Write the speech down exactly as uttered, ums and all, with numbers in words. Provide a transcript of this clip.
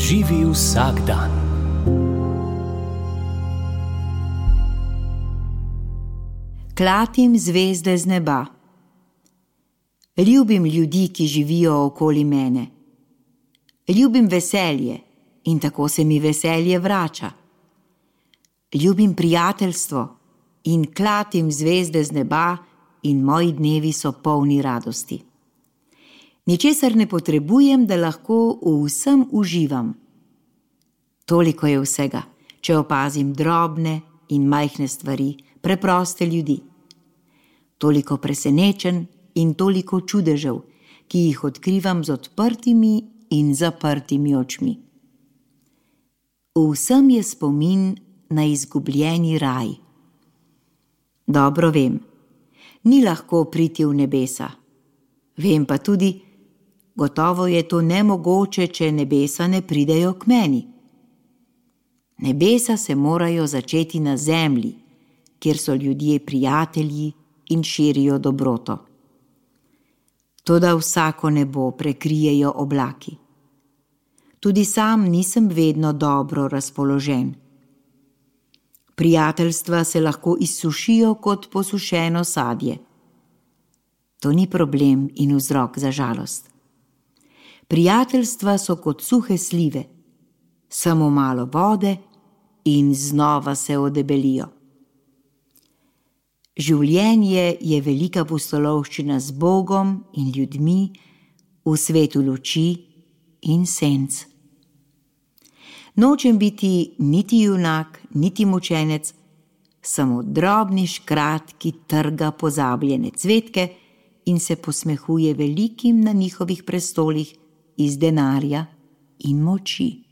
Živi vsak dan. Klatim zvezde z neba. Ljubim ljudi, ki živijo okoli mene. Ljubim veselje in tako se mi veselje vrača. Ljubim prijateljstvo in klatim zvezde z neba in moji dnevi so polni radosti. Ničesar ne potrebujem, da lahko v vsem uživam. Toliko je vsega, če opazim drobne in majhne stvari, preproste ljudi. Toliko presenečenj in toliko čudežev, ki jih odkrivam z odprtimi in zaprtimi očmi. Vsem je spomin na izgubljeni raj. Dobro vem, ni lahko priti v nebesa. Vem pa tudi, gotovo je to nemogoče, če nebesa ne pridejo k meni. Nebesa se morajo začeti na zemlji, kjer so ljudje prijatelji in širijo dobroto. Toda vsako nebo prekrijejo oblaki. Tudi sam nisem vedno dobro razpoložen. Prijateljstva se lahko izsušijo kot posušeno sadje. To ni problem in vzrok za žalost. Prijateljstva so kot suhe slive, samo malo vode in znova se odebelijo. Življenje je velika pustolovščina z Bogom in ljudmi v svetu luči in senc. Nočem biti niti junak, niti mučenec, samo drobni škrat, ki trga pozabljene cvetke in se posmehuje velikim na njihovih prestolih iz denarja in moči.